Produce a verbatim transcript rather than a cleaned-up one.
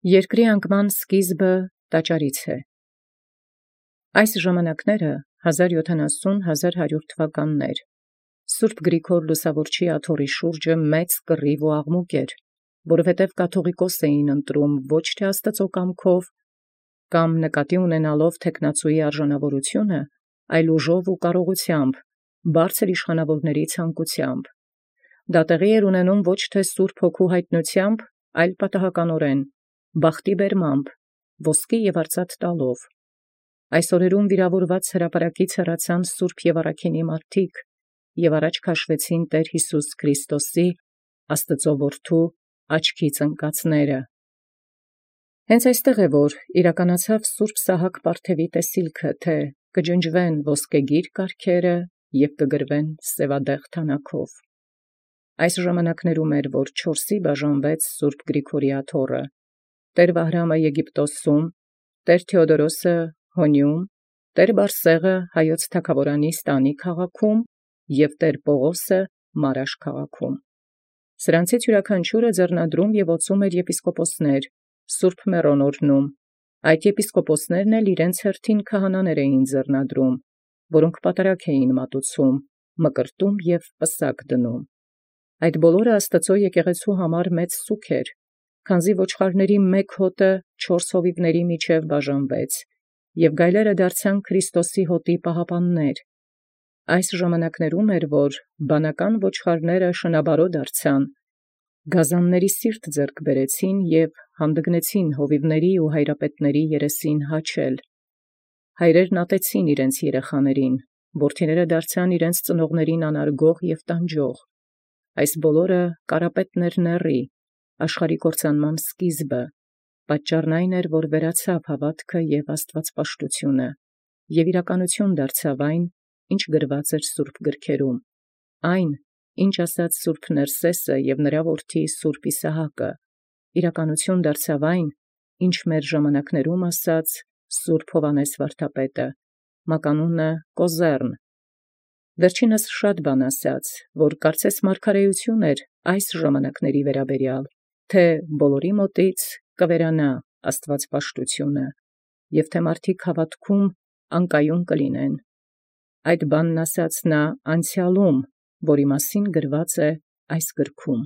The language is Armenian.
Երկրի անկման սկիզբը տաճարից է։ Այս ժամանակները հազար յոթանասուն հազար հարյուր թվականներ Սուրբ Գրիգոր Լուսավորչի աթոռի շուրջը մեծ կռիվ ու աղմուկ էր, որովհետև կաթողիկոս էին ընտրում ոչ թե Աստծո կամքով կամ նկատի ունենալով թեկնածուի արժանավորությունը, այլ ուժով ու կարողությամբ, բարձր իշխանավորների ցանկությամբ։ Դա տեղի էր ունենում ոչ թե Սուրբ Հոգու հայտնությամբ, այլ պատահականորեն, բախտի բերմամբ, ոսկի և արծաթ տալով։ Այս օրերուն վիրավորված հրապարակից հեռացան Սուրբ և առաքինի մարդիկ և առաջ քաշվեցին Տեր Յիսուս Քրիստոսի, Աստծո որդու աչքից ընկածները։ Հենց այստեղ է, որ իրականացավ Սուրբ Սահակ պարթևի տեսիլքը, թե կջնջվեն ոսկեգիր կառքերը և կգրվեն սևադեղ թանաքով։ Այս ժամանակներում էր, որ չորսի բաժանվեց Սուրբ Գրիգորի աթոռը. Տեր Վահրամը Եգիպտոսում, Տեր Թեոդորոսը Հոնիում, Տեր Բարսեղը հայոց թագաւորանի Ստանի քաղաքում և Տեր Պողոսը Մարաշ քաղաքում։ Սրանցից յուրաքանչյուրը ձեռնադրում և ոցում էր եպիսկոպոսներ, Սուրբ Մեռոն օրհնում, այդ եպիսկոպոսներն էլ իրենց հերթին քահանաներ էին ձեռնադրում, որոնք պատարագ էին մատուցում, մկրտում և պսակ դնում։ Այդ բոլորը Աստծո եկեղեցու համար մեծ սուգ էր, քանզի ոչխարների մեկ հոտը չորս հովիվների միջև բաժանվեց, և գայլերը դարձան Քրիստոսի հոտի պահապաններ։ Այս ժամանակներում էր, որ բանական ոչխարները շնաբարո դարձան, գազանների սիրտ ձեռք բերեցին և հանդգնեցին հովիվների ու հայրապետների երեսին հաչել։ Հայրերն ատեցին իրենց երեխաներին, որդիները դարձան իրենց ծնողներին անարգող և տանջող։ Այս բոլորը կարապետն էր նեռի, աշխարհի կործանման սկիզբը, պատճառն այն էր, որ վերացավ հավատքը և աստվածպաշտությունը, և իրականություն դարձավ այն, ինչ գրված էր սուրբ գրքերում, այն, ինչ ասաց սուրբ Ներսեսը և նրա որդի սուրբ Իսահակը, իրականություն դարձավ այն, ինչ մեր ժամանակներում ասաց սուրբ Հովհաննես վարդապետը, մականունը Կոզեռն։ Վերջինս շատ բան ասաց, որ կարծես մարգարեություն էր այս ժամանակների վերաբերյալ, թե բոլորի մոտից կվերանա աստվածպաշտությունը, և թե մարդիկ հավատքում անկայուն կլինեն։ Այդ բանն ասաց նա անցյալում, որի մասին գրված է այս գրքում։